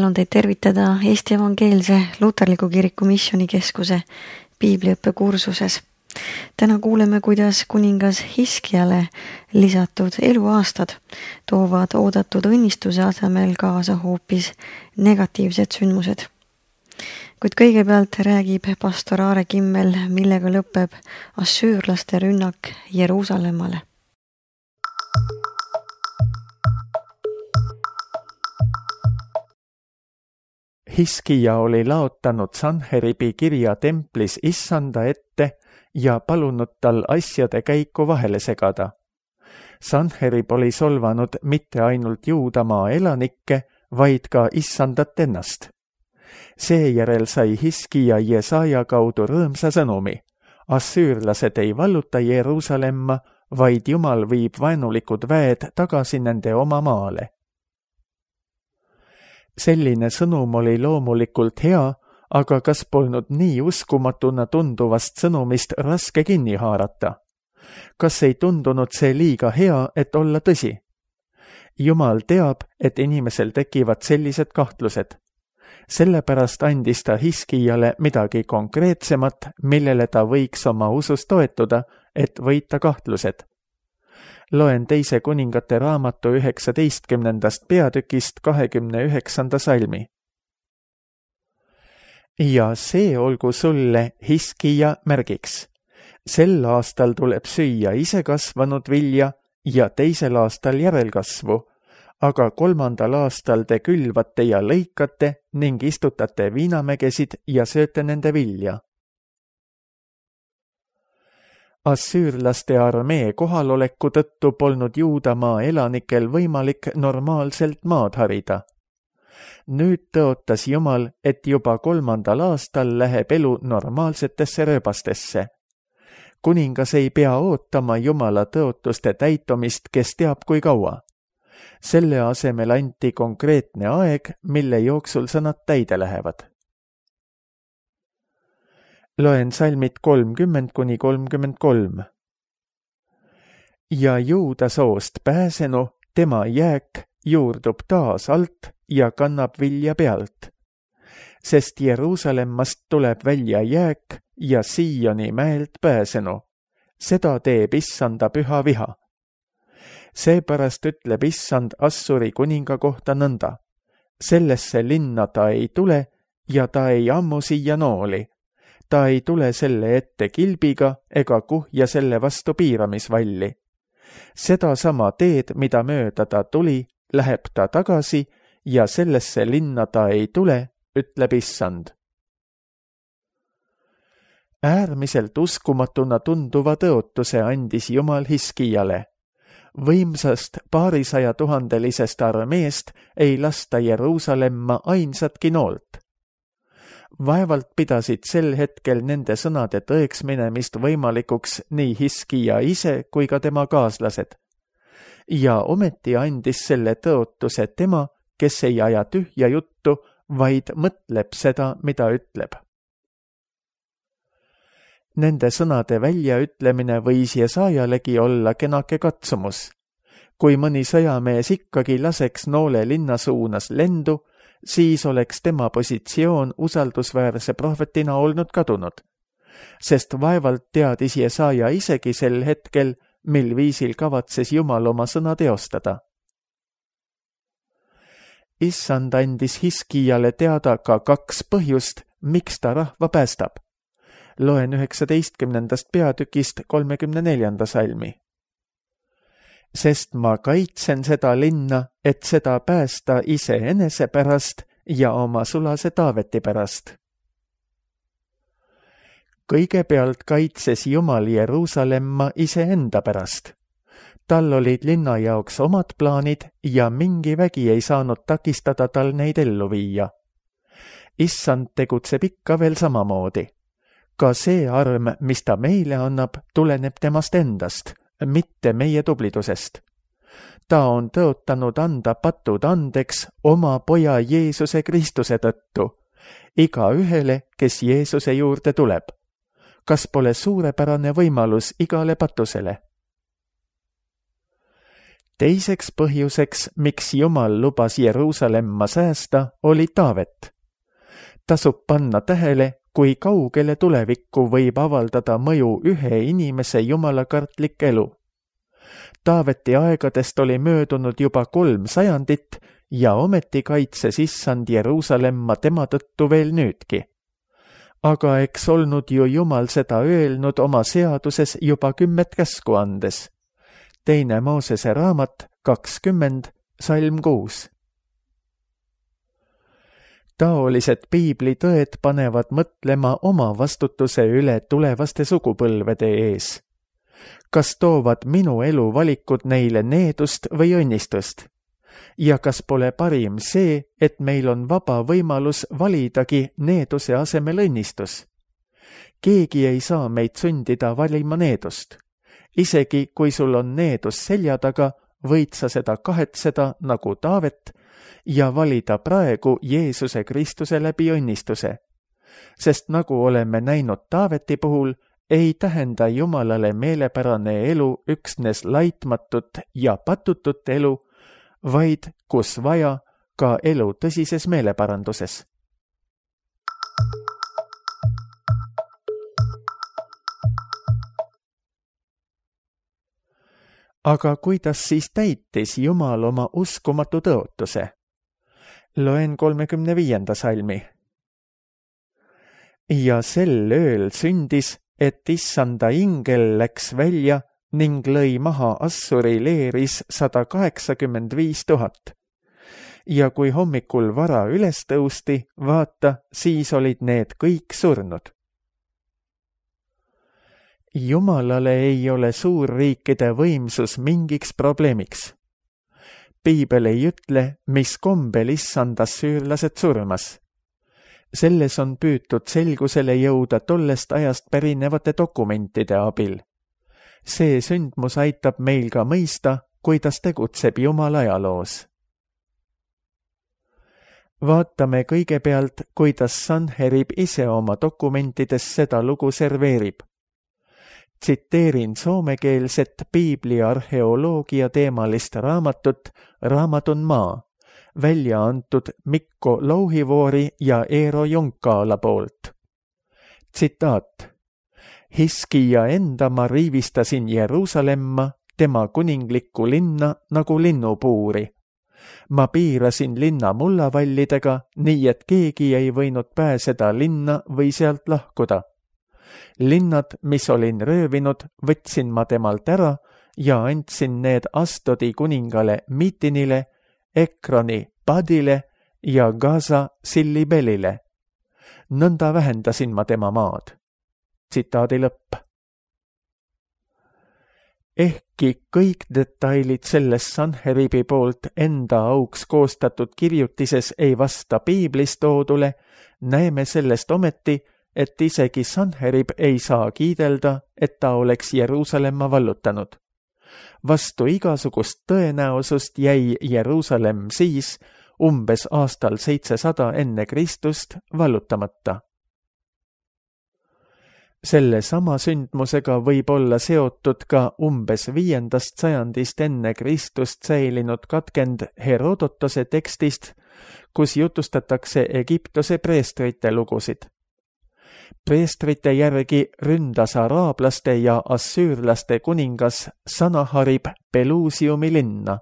hääl on teid tervitada Eesti Evangeelse Luterliku Kiriku Missioonikeskuse piibliõppekursuses. Täna kuuleme, kuidas kuningas Hiskiale lisatud eluaastad toovad oodatud õnnistuse asemel kaasa hoopis negatiivsed sündmused. Kuid kõigepealt räägib pastor Aare Kimmel, millega lõpeb assüürlaste rünnak Jeruusalemmale. Hiskija oli laotanud Sanheribi kirja templis issanda ette ja palunud tal asjade käiku vahele segada. Sanherib oli solvanud mitte ainult Juudamaa elanikke, vaid ka issandat ennast. Seejärel sai Hiskija Jesaja kaudu rõõmsa sõnumi. Assüürlased ei valluta Jeruusalemma, vaid Jumal viib vaenulikud väed tagasi nende oma maale. Selline sõnum oli loomulikult hea, aga kas polnud nii uskumatuna tunduvast sõnumist raske kinni haarata? Kas ei tundunud see liiga hea, et olla tõsi? Jumal teab, et inimesel tekivad sellised kahtlused. Sellepärast andis ta Hiskijale midagi konkreetsemat, millele ta võiks oma usus toetuda, et võita kahtlused. Loen 2. kuningate raamatu 19. peatükist 29. salmi. Ja see olgu sulle, Hiskija, märgiks. Sel aastal tuleb süüa isekasvanud vilja ja teisel aastal järelkasvu, aga 3. aastal te külvate ja lõikate ning istutate viinamägesid ja sööte nende vilja. Assüürlaste armee kohaloleku tõttu polnud Juudamaa elanikel võimalik normaalselt maad harida. Nüüd tõotas Jumal, et juba 3. aastal läheb elu normaalsetesse rööbastesse. Kuningas ei pea ootama Jumala tõotuste täitumist, kes teab kui kaua. Selle asemel anti konkreetne aeg, mille jooksul sõnad täide lähevad. Loen salmid 30-33. Ja Juuda soost pääsenu, tema jääk juurdub taas alt ja kannab vilja pealt. Sest Jeruusalemmast tuleb välja jääk ja Sioni mäelt pääsenu. Seda teeb issanda püha viha. Seepärast ütleb issand Assuri kuninga kohta nõnda. Sellesse linna ta ei tule ja ta ei ammu siia nooli. Ta ei tule selle ette kilbiga ega kuhja selle vastu piiramisvalli. Seda sama teed, mida mööda ta tuli, läheb ta tagasi ja sellesse linna ta ei tule, ütleb issand. Äärmiselt uskumatuna tunduva tõotuse andis Jumal Hiskijale. Võimsast 200 000-lisest armeest ei lasta Jeruusalemma ainsatki noolt. Vaevalt pidasid sel hetkel nende sõnade tõeks minemist võimalikuks nii Hiskija ise kui ka tema kaaslased. Ja ometi andis selle tõotuse tema, kes ei aja tühja juttu, vaid mõtleb seda, mida ütleb. Nende sõnade väljaütlemine võis Jesajalegi olla kenake katsumus. Kui mõni sõjamees ikkagi laseks noole linna suunas lendu, siis oleks tema positsioon usaldusväärse prohvetina olnud kadunud, sest vaevalt teadis Jesaja isegi sel hetkel, mil viisil kavatses Jumal oma sõna teostada. Issand andis Hiskijale teada ka 2 põhjust, miks ta rahva päästab. Loen 19. peatükist 34. salmi. Sest ma kaitsen seda linna, et seda päästa iseenese pärast ja oma sulase Taaveti pärast. Kõigepealt kaitses Jumal Jeruusalemma iseenda pärast. Tal olid linna jaoks omad plaanid ja mingi vägi ei saanud takistada tal neid ellu viia. Issand tegutseb ikka veel samamoodi. Ka see arm, mis ta meile annab, tuleneb temast endast, mitte meie tublidusest. Ta on tõotanud anda patud andeks oma poja Jeesuse Kristuse tõttu, iga ühele, kes Jeesuse juurde tuleb. Kas pole suurepärane võimalus igale patusele? Teiseks põhjuseks, miks Jumal lubas Jeruusalemma säästa, oli Taavet. Tasub panna tähele, kui kaugele tulevikku võib avaldada mõju ühe inimese jumalakartlik elu. Taaveti aegadest oli möödunud juba 3 sajandit ja ometi kaitses Issand Jeruusalemma tema tõttu veel nüüdki. Aga eks olnud ju Jumal seda öelnud oma seaduses juba 10 käsku andes. 2 Moosese raamat 20, salm 6. Taolised piiblitõed panevad mõtlema oma vastutuse üle tulevaste sugupõlvede ees. Kas toovad minu elu valikud neile needust või õnnistust? Ja kas pole parim see, et meil on vaba võimalus validagi needuse asemel õnnistus? Keegi ei saa meid sundida valima needust. Isegi kui sul on needus selja taga, võid sa seda kahetseda nagu Taavet ja valida praegu Jeesuse Kristuse läbi õnnistuse. Sest nagu oleme näinud Taaveti puhul, ei tähenda Jumalale meelepärane elu üksnes laitmatut ja patutut elu, vaid kus vaja, ka elu tõsises meeleparanduses. Aga kuidas siis täitis Jumal oma uskumatu tõotuse? Loen 35. salmi. Ja sel ööl sündis, et Issanda ingel läks välja ning lõi maha Assuri leeris 185 000. Ja kui hommikul vara üles tõusti, vaata, siis olid need kõik surnud. Jumalale ei ole suurriikide võimsus mingiks probleemiks. Piibel ei ütle, mis kombel Issand assüürlased surmas. Selles on püütud selgusele jõuda tollest ajast pärinevate dokumentide abil. See sündmus aitab meil ka mõista, kuidas tegutseb Jumal ajaloos. Vaatame kõigepealt, kuidas Sanherib ise oma dokumentides seda lugu serveerib. Tsiteerin soomekeelset piibli arheoloogia teemalist raamatut Raamatun maa, välja antud Mikko Louhivuori ja Eero Junkaala poolt. Tsitaat. Hiskia enda ma riivistasin Jeruusalemma, tema kuninglikku linna nagu linnupuuri. Ma piirasin linna mullavallidega, nii et keegi ei võinud pääseda linna või sealt lahkuda. Linnad, mis olin röövinud, võtsin ma temalt ära ja andsin need Astodi kuningale Mitinile, Ekroni Padile ja Gaza Sillibelile. Nõnda vähendasin ma tema maad. Tsitaadi lõpp. Ehkki kõik detailid selles Sanheribi poolt enda auks koostatud kirjutises ei vasta piiblis toodule, näeme sellest ometi, et isegi Sanherib ei saa kiidelda, et ta oleks Jeruusalemma vallutanud. Vastu igasugust tõenäosust jäi Jeruusalemm siis, umbes aastal 700 enne Kristust, vallutamata. Selle sama sündmusega võib olla seotud ka umbes 5. sajandist enne Kristust säilinud katkend Herodotose tekstist, kus jutustatakse Egiptuse preestrite lugusid. Preestrite järgi ründas araablaste ja assüürlaste kuningas Sanaharib Pelusiumi linna.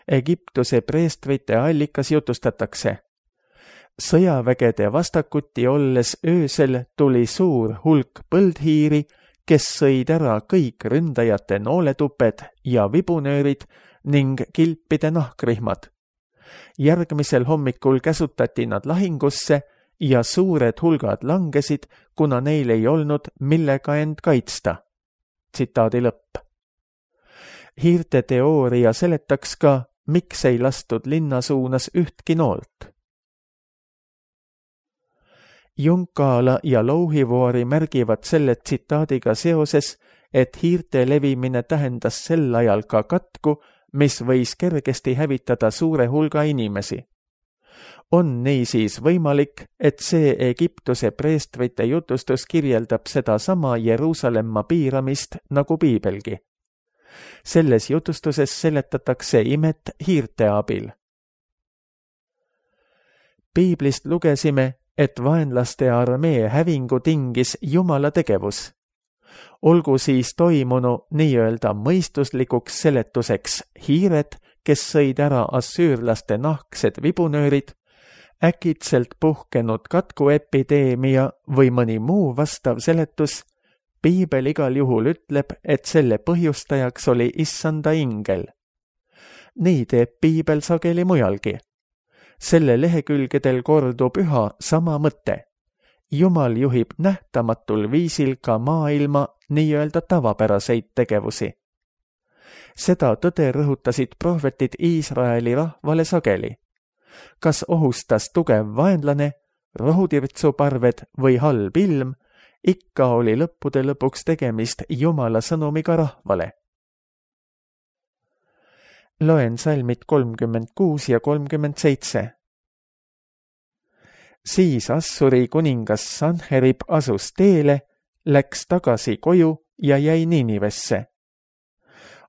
Egiptuse preestrite allikas jutustatakse. Sõjavägede vastakuti olles öösel tuli suur hulk põldhiiri, kes sõid ära kõik ründajate nooletuped ja vibunöörid ning kilpide nahkrihmad. Järgmisel hommikul käsutati nad lahingusse ja suured hulgad langesid, kuna neil ei olnud millega end kaitsta. Tsitaadi lõpp. Hiirte teooria seletaks ka, miks ei lastud linna suunas ühtki noolt. Junkaala ja Louhivuori märgivad selle tsitaadiga seoses, et hiirte levimine tähendas sel ajal ka katku, mis võis kergesti hävitada suure hulga inimesi. On niisiis võimalik, et see Egiptuse preestrite jutustus kirjeldab seda sama Jeruusalemma piiramist nagu piibelgi. Selles jutustuses seletatakse imet hiirte abil. Piiblist lugesime, et vaenlaste armee hävingu tingis Jumala tegevus. Olgu siis toimunu nii-öelda mõistuslikuks seletuseks hiired, kes sõid ära assüürlaste nahksed vibunöörid, äkitselt puhkenud katkuepideemia või mõni muu vastav seletus, piibel igal juhul ütleb, et selle põhjustajaks oli issanda ingel. Nii teeb piibel sageli mujalgi. Selle lehekülgedel kordub üha sama mõte. Jumal juhib nähtamatul viisil ka maailma nii-öelda tavapäraseid tegevusi. Seda tõde rõhutasid prohvetid Iisraeli rahvale sageli. Kas ohustas tugev vaenlane, rohutirtsuparved või halb ilm, ikka oli lõppude lõpuks tegemist Jumala sõnumiga rahvale. Loen salmid 36 ja 37. Siis Assuri kuningas Sanherib asus teele, läks tagasi koju ja jäi Ninivesse.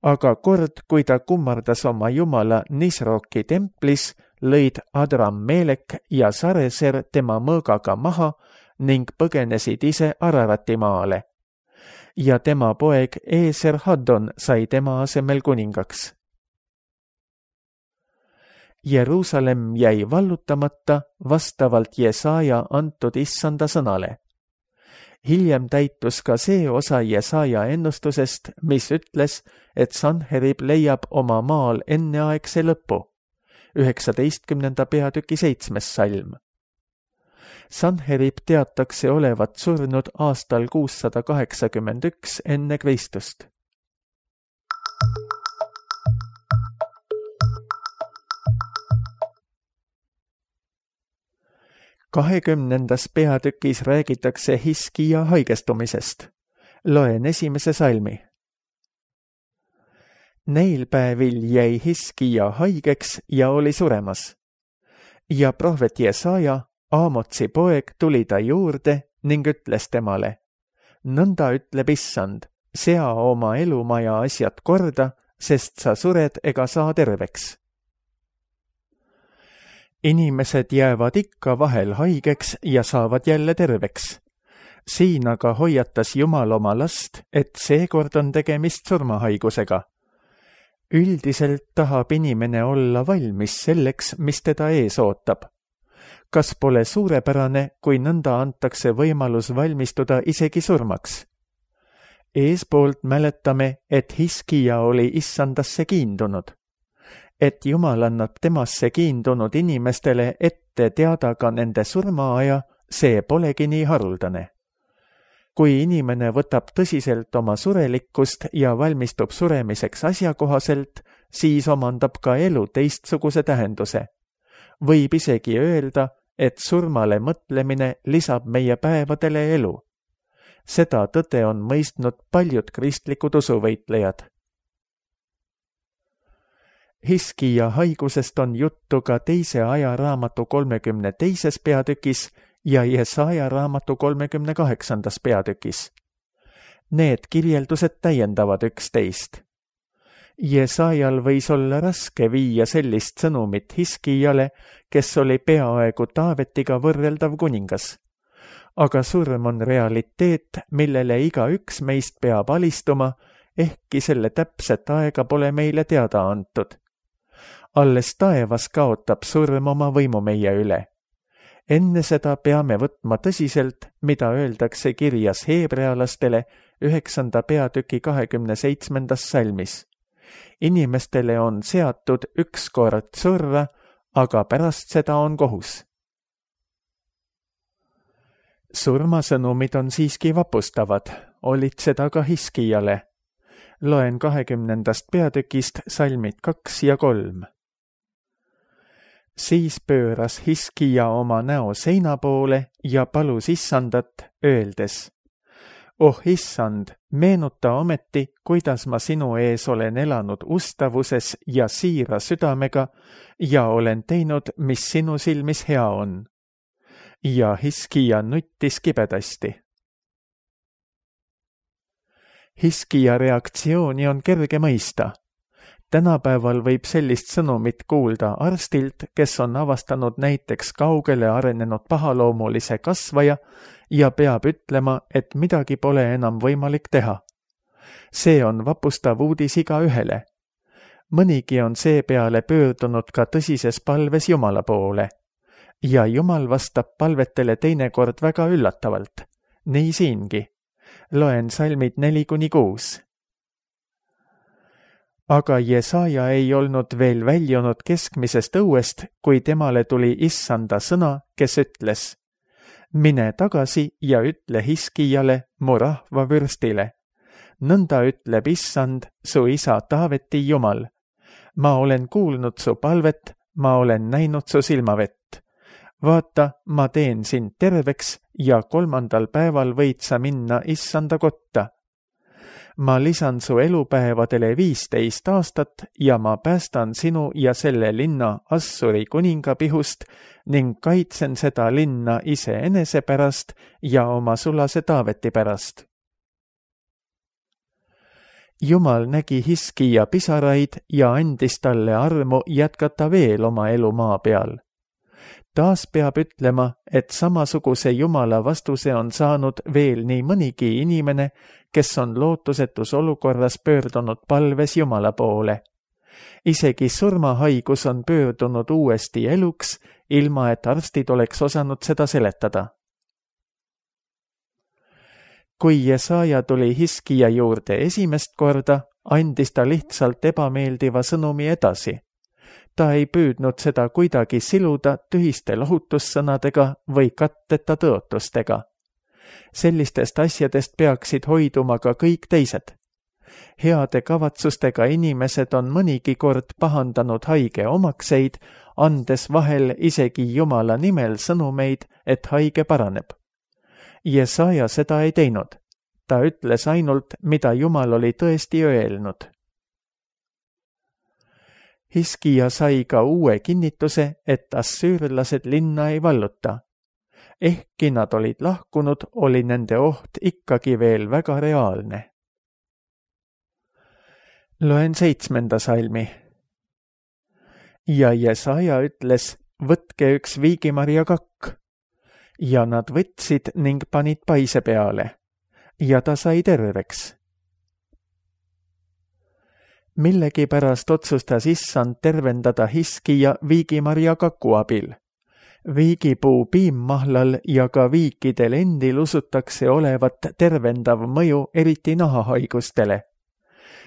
Aga kord, kui ta kummardas oma jumala Nisroki templis, lõid Adrammelek ja Sareser tema mõõgaga maha ning põgenesid ise Ararati maale. Ja tema poeg Eser-Haddon sai tema asemel kuningaks. Jeruusalemm jäi vallutamata vastavalt Jesaja antud issanda sõnale. Hiljem täitus ka see osa Jesaja ennustusest, mis ütles, et Sanherib leiab oma maal enneaegse lõpu, 19. peatüki 7. salm. Sanherib teatakse olevat surnud aastal 681 enne Kristust. 20. peatükis räägitakse Hiskija haigestumisest. Loen 1. salmi. Neil päevil jäi Hiskija haigeks ja oli suremas. Ja prohvet Jesaja, Aamotsi poeg, tuli ta juurde ning ütles temale: nõnda ütleb issand, sea oma elumaja asjad korda, sest sa sured ega saa terveks. Inimesed jäävad ikka vahel haigeks ja saavad jälle terveks. Siin aga hoiatas Jumal oma last, et seekord on tegemist surmahaigusega. Üldiselt tahab inimene olla valmis selleks, mis teda ees ootab. Kas pole suurepärane, kui nõnda antakse võimalus valmistuda isegi surmaks? Eespoolt mäletame, et Hiskija oli issandasse kiindunud. Et Jumal annab temasse kiindunud inimestele ette teada ka nende surmaaja, see polegi nii haruldane. Kui inimene võtab tõsiselt oma surelikkust ja valmistub suremiseks asjakohaselt, siis omandab ka elu teistsuguse tähenduse. Võib isegi öelda, et surmale mõtlemine lisab meie päevadele elu. Seda tõde on mõistnud paljud kristlikud usuvõitlejad. Hiskija haigusest on juttu ka teise ajaraamatu 32. peatükis ja Jesaja raamatu 38. peatükis. Need kirjeldused täiendavad üksteist. Jesajal võis olla raske viia sellist sõnumit Hiskijale, kes oli peaaegu Taavetiga võrreldav kuningas. Aga surm on realiteet, millele igaüks meist peab alistuma, ehkki selle täpset aega pole meile teada antud. Alles taevas kaotab surm oma võimu meie üle. Enne seda peame võtma tõsiselt, mida öeldakse kirjas heebrealastele 9. peatüki 27. salmis. Inimestele on seatud ükskord surra, aga pärast seda on kohus. Surmasõnumid on siiski vapustavad, olid seda ka Hiskijale. Loen 20. peatükist salmid 2 ja 3. Siis pööras Hiskija oma näo seina poole ja palus issandat, öeldes: oh issand, meenuta ometi, kuidas ma sinu ees olen elanud ustavuses ja siira südamega ja olen teinud, mis sinu silmis hea on. Ja Hiskija nuttis kibedasti. Hiskija reaktsiooni on kerge mõista. Tänapäeval võib sellist sõnumit kuulda arstilt, kes on avastanud näiteks kaugele arenenud pahaloomulise kasvaja ja peab ütlema, et midagi pole enam võimalik teha. See on vapustav uudis igaühele. Mõnigi on seepeale pöördunud ka tõsises palves Jumala poole. Ja Jumal vastab palvetele teinekord väga üllatavalt. Nii siingi. Loen salmid 4-6. Aga Jesaja ei olnud veel väljunud keskmisest õuest, kui temale tuli Issanda sõna, kes ütles: mine tagasi ja ütle Hiskijale, mu rahva vürstile. Nõnda ütleb Issand, su isa Taaveti Jumal. Ma olen kuulnud su palvet, ma olen näinud su silmavett. Vaata, ma teen sind terveks ja 3. päeval võid sa minna Issanda kotta. Ma lisan su elupäevadele 15 aastat ja ma päästan sinu ja selle linna Assuri kuninga pihust ning kaitsen seda linna iseenese pärast ja oma sulase Taaveti pärast. Jumal nägi Hiskija pisaraid ja andis talle armu jätkata veel oma elu maa peal. Taas peab ütlema, et samasuguse Jumala vastuse on saanud veel nii mõnigi inimene, kes on lootusetus olukorras pöördunud palves Jumala poole. Isegi surmahaigus on pöördunud uuesti eluks, ilma et arstid oleks osanud seda seletada. Kui Jesaja tuli Hiskija juurde esimest korda, andis ta lihtsalt ebameeldiva sõnumi edasi. Ta ei püüdnud seda kuidagi siluda tühiste lohutussõnadega või katteta tõotustega. Sellistest asjadest peaksid hoiduma ka kõik teised. Heade kavatsustega inimesed on mõnigi kord pahandanud haige omakseid, andes vahel isegi Jumala nimel sõnumeid, et haige paraneb. Jesaja seda ei teinud. Ta ütles ainult, mida Jumal oli tõesti öelnud. Hiskija sai ka uue kinnituse, et assüürlased linna ei valluta. Ehkki nad olid lahkunud, oli nende oht ikkagi veel väga reaalne. Loen 7. salmi. Ja Jesaja ütles, võtke üks viigimarja kakk. Ja nad võtsid ning panid paise peale. Ja ta sai terveks. Millegipärast otsustas Issand tervendada Hiskija viigimarja kaku abil. Viigipuu piimmahlal ja ka viikidel endil usutakse olevat tervendav mõju eriti nahahaigustele.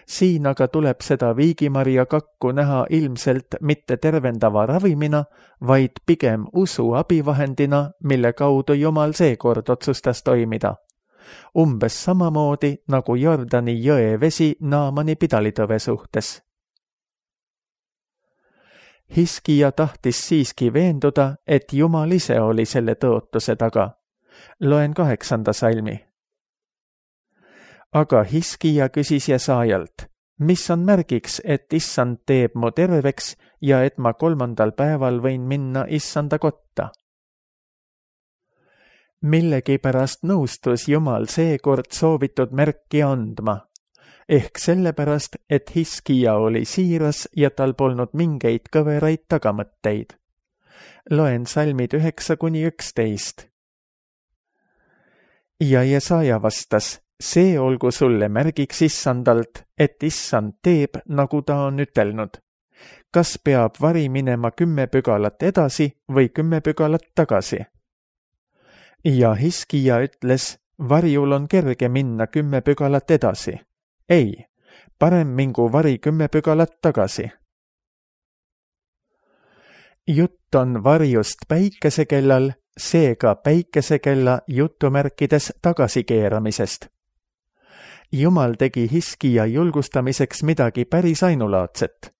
Siin aga tuleb seda viigimarja kakku näha ilmselt mitte tervendava ravimina, vaid pigem usu abivahendina, mille kaudu Jumal seekord otsustas toimida. Umbes samamoodi nagu Jordani jõe vesi Naamani pidalitõve suhtes. Hiskija tahtis siiski veenduda, et Jumal ise oli selle tõotuse taga. Loen 8. salmi. Aga Hiskija küsis Jesajalt, mis on märgiks, et Issand teeb mu terveks ja et ma 3. päeval võin minna Issanda kotta? Millegipärast nõustus Jumal seekord soovitud märki andma, ehk sellepärast, et Hiskija oli siiras ja tal polnud mingeid kõveraid tagamõtteid. Loen salmid 9-11. Ja Jesaja vastas, see olgu sulle märgiks Issandalt, et Issand teeb, nagu ta on ütelnud. Kas peab vari minema 10 pügalat edasi või 10 pügalat tagasi? Ja Hiskija ütles, varjul on kerge minna 10 pügalat edasi. Ei, parem mingu vari 10 pügalat tagasi. Jutt on varjust päikesekellal, seega päikesekella jutumärkides tagasikeeramisest. Jumal tegi Hiskija julgustamiseks midagi päris ainulaadset.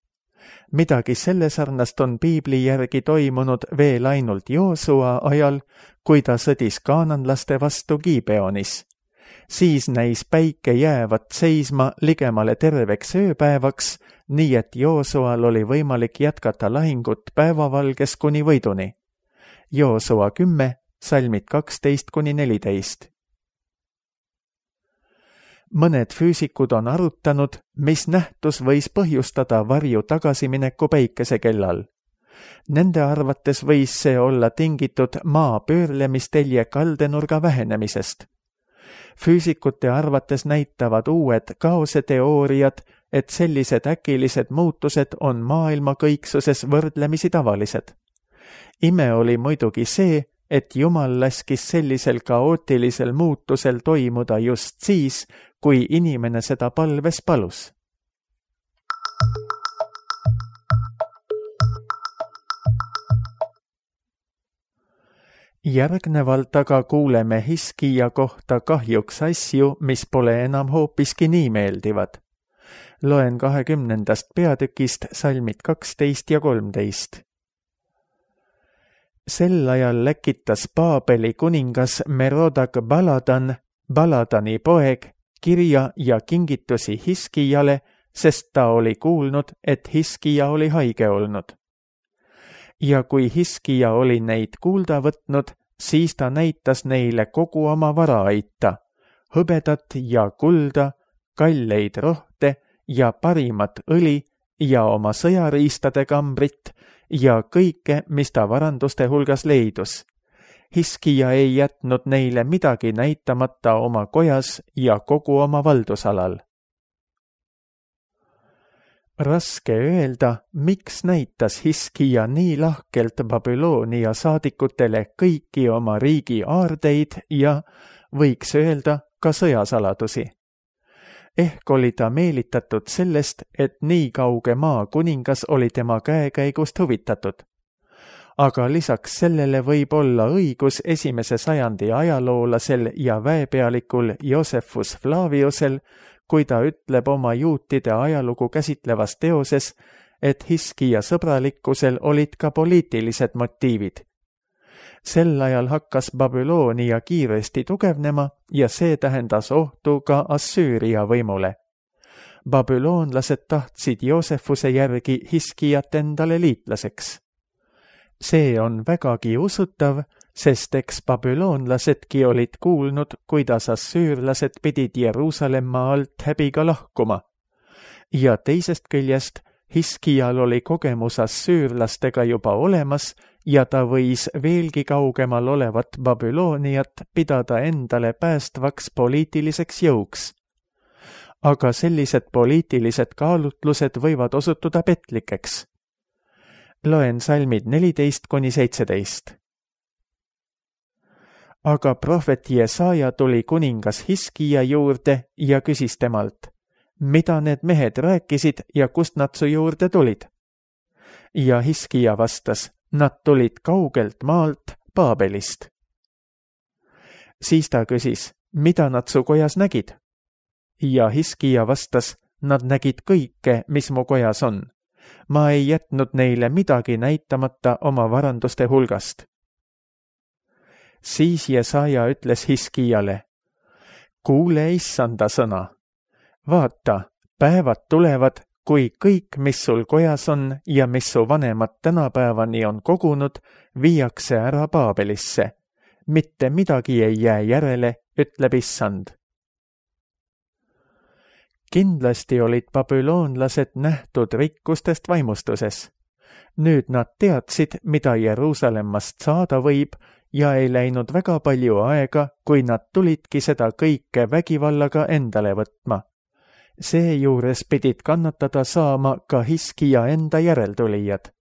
Midagi selle sarnast on piibli järgi toimunud veel ainult Joosua ajal, kui ta sõdis kaananlaste vastu Gibeonis. Siis näis päike jäävat seisma ligemale terveks ööpäevaks, nii et Joosual oli võimalik jätkata lahingut päevavalges kuni võiduni. Joosua 10, salmid 12-14. Mõned füüsikud on arutanud, mis nähtus võis põhjustada varju tagasimineku päikesekellal. Nende arvates võis see olla tingitud maa pöörlemistelje kaldenurga vähenemisest. Füüsikute arvates näitavad uued kaoseteooriad, et sellised äkilised muutused on maailma kõiksuses võrdlemisi tavalised. Ime oli muidugi see, et Jumal laskis sellisel kaootilisel muutusel toimuda just siis, kui inimene seda palves palus. Järgnevalt aga kuuleme Hiskija kohta kahjuks asju, mis pole enam hoopiski nii meeldivad. Loen 20. peatükist salmid 12 ja 13. Sel ajal läkitas Paabeli kuningas Merodak Baladan, Baladani poeg, kirja ja kingitusi Hiskijale, sest ta oli kuulnud, et Hiskija oli haige olnud. Ja kui Hiskija oli neid kuulda võtnud, siis ta näitas neile kogu oma varaaita, hõbedat ja kulda, kalleid rohte ja parimat õli ja oma sõjariistade kambrit ja kõike, mis ta varanduste hulgas leidus. Hiskija ei jätnud neile midagi näitamata oma kojas ja kogu oma valdusalal. Raske öelda, miks näitas Hiskija nii lahkelt Babyloonia saadikutele kõiki oma riigi aardeid ja, võiks öelda, ka sõjasaladusi. Ehk oli ta meelitatud sellest, et nii kauge maa kuningas oli tema käekäigust huvitatud. Aga lisaks sellele võib olla õigus 1. sajandi ajaloolasel ja väepealikul Josephus Flaviusel, kui ta ütleb oma juutide ajalugu käsitlevas teoses, et Hiskija sõbralikkusel olid ka poliitilised motiivid. Sel ajal hakkas Babyloonia kiiresti tugevnema ja see tähendas ohtu ka Assüüria võimule. Babüloonlased tahtsid Joosefuse järgi Hiskijat endale liitlaseks. See on vägagi usutav, sest eks babüloonlasedki olid kuulnud, kuidas assüürlased pidid Jeruusalemma alt häbiga lahkuma. Ja teisest küljest Hiskijal oli kogemus assüürlastega juba olemas ja ta võis veelgi kaugemal olevat Babyloniat pidada endale päästvaks poliitiliseks jõuks. Aga sellised poliitilised kaalutlused võivad osutuda petlikeks. Loen salmid 14-17. Aga prohvet Jesaja tuli kuningas Hiskija juurde ja küsis temalt, mida need mehed rääkisid ja kust nad su juurde tulid? Ja Hiskija vastas, nad tulid kaugelt maalt Paabelist. Siis ta küsis, mida nad su kojas nägid? Ja Hiskija vastas, nad nägid kõike, mis mu kojas on. Ma ei jätnud neile midagi näitamata oma varanduste hulgast. Siis Jesaja ütles Hiskijale, kuule issanda sõna. Vaata, päevad tulevad, kui kõik, mis sul kojas on ja mis su vanemad tänapäevani on kogunud, viiakse ära Paabelisse. Mitte midagi ei jää järele, ütleb issand. Kindlasti olid babüloonlased nähtud rikkustest vaimustuses. Nüüd nad teadsid, mida Jeruusalemmast saada võib ja ei läinud väga palju aega, kui nad tulidki seda kõike vägivallaga endale võtma. Seejuures pidid kannatada saama ka Hiskija enda järeltulijad.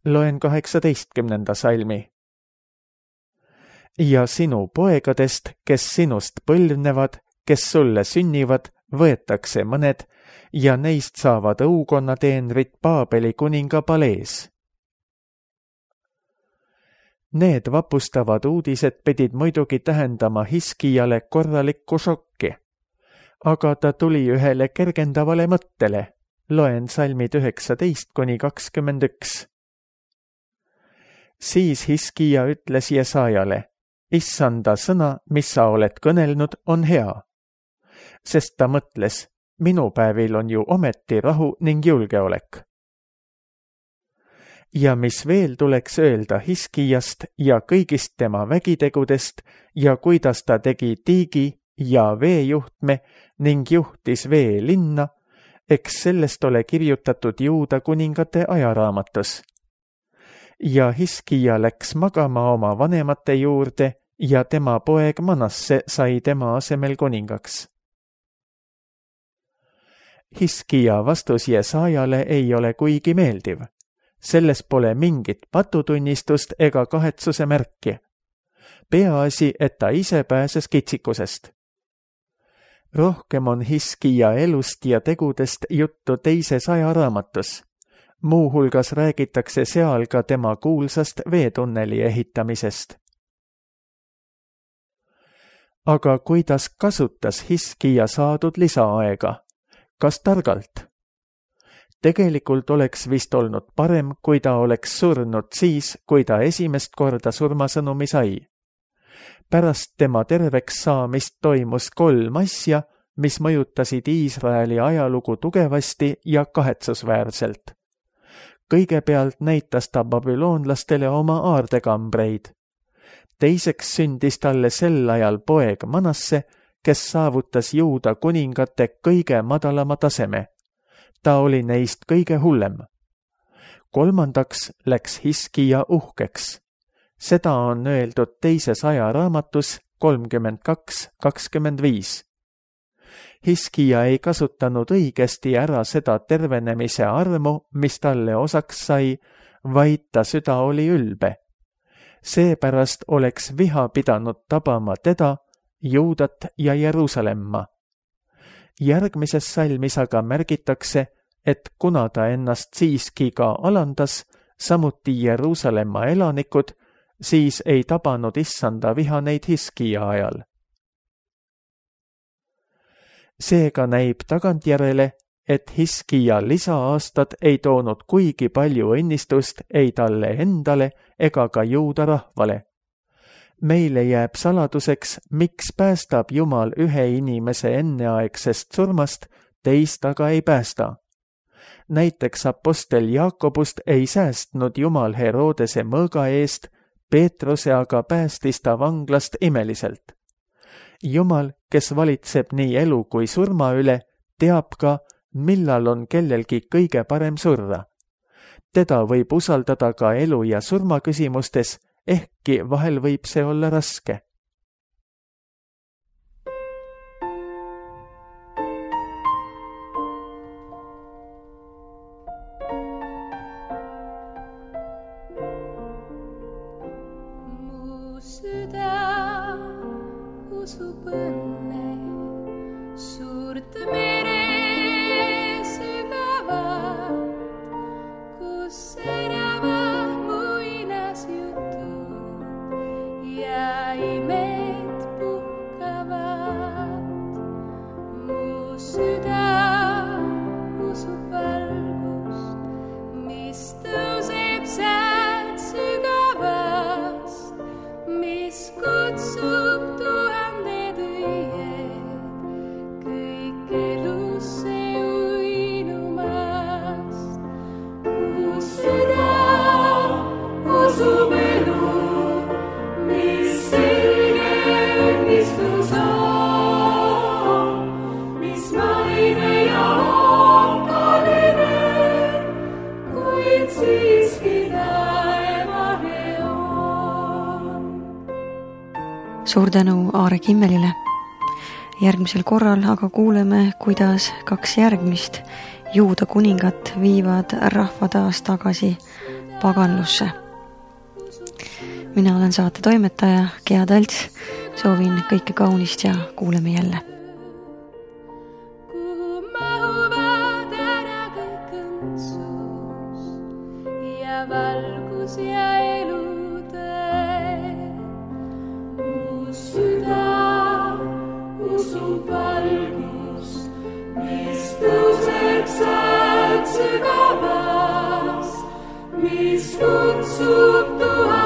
Loen 18. salmi. Ja sinu poegadest, kes sinust põlvnevad, kes sulle sünnivad, võetakse mõned ja neist saavad õukonnateenrid Paabeli kuninga palees. Need vapustavad uudised pidid muidugi tähendama Hiskijale korralikku šokki, aga ta tuli ühele kergendavale mõttele. Loen salmid 19-21. Siis Hiskija ütles Jesajale, issanda sõna, mis sa oled kõnelnud, on hea. Sest ta mõtles, minu päevil on ju ometi rahu ning julgeolek. Ja mis veel tuleks öelda Hiskijast ja kõigist tema vägitegudest ja kuidas ta tegi tiigi ja veejuhtme ning juhtis veelinna, eks sellest ole kirjutatud Juuda kuningate ajaraamatus. Ja Hiskija läks magama oma vanemate juurde ja tema poeg Manasse sai tema asemel kuningaks. Hiskija vastus Jesaajale ei ole kuigi meeldiv. Selles pole mingit patutunnistust ega kahetsuse märki. Peaasi, et ta ise pääses kitsikusest. Rohkem on Hiskija elust ja tegudest juttu teises ajaraamatus. Muuhulgas räägitakse seal ka tema kuulsast veetunneli ehitamisest. Aga kuidas kasutas Hiskija saadud lisaaega? Kas targalt? Tegelikult oleks vist olnud parem, kui ta oleks surnud siis, kui ta esimest korda surmasõnumi sai. Pärast tema terveks saamist toimus 3 asja, mis mõjutasid Iisraeli ajalugu tugevasti ja kahetsusväärselt. Kõigepealt näitas ta babüloonlastele oma aardekambreid. Teiseks sündis talle sel ajal poeg Manasse, kes saavutas Juuda kuningate kõige madalama taseme. Ta oli neist kõige hullem. Kolmandaks läks Hiskija uhkeks. Seda on öeldud teises ajaraamatus 32:25. Hiskija ei kasutanud õigesti ära seda tervenemise armu, mis talle osaks sai, vaid ta süda oli ülbe. Seepärast oleks viha pidanud tabama teda, Juudat ja Jeruusalemma. Järgmises salmis aga märgitakse, et kuna ta ennast siiski ka alandas, samuti Jeruusalemma elanikud, siis ei tabanud issanda viha neid Hiskija ajal. Seega näib tagantjärele, et Hiskija lisaaastad ei toonud kuigi palju õnnistust ei talle endale ega ka Juuda rahvale. Meile jääb saladuseks, miks päästab Jumal ühe inimese enneaegsest surmast, teist aga ei päästa. Näiteks apostel Jaakobust ei säästnud Jumal Herodese mõõga eest, Peetruse aga päästis ta vanglast imeliselt. Jumal, kes valitseb nii elu kui surma üle, teab ka, millal on kellelgi kõige parem surra. Teda võib usaldada ka elu ja surma küsimustes, ehkki vahel võib see olla raske. Mu süda usub õnne, suurt mere sügavat, kus särava muinasjutud ja imed puhkavad. Mu süda usub valgust, mis tõuseb sealt sügavast, mis kutsub tuhanded õied kõik elusse uinumast. Mu süda usub elu, mis selge õnnistus on, mis maine ja okaline, kuid siiski taevane on. Suur tänu Aare Kimmelile. Järgmisel korral aga kuuleme, kuidas 2 järgmist Juuda kuningat viivad rahva taas tagasi paganlusse. Mina olen saate toimetaja Gea Talts. Soovin kõike kaunist ja kuuleme jälle. Kuhu mahuvad ära kõik õndsus ja valgus ja elutee. Mu süda usub valgust, mis tõuseb sealt sügavast, mis kutsub tuhanded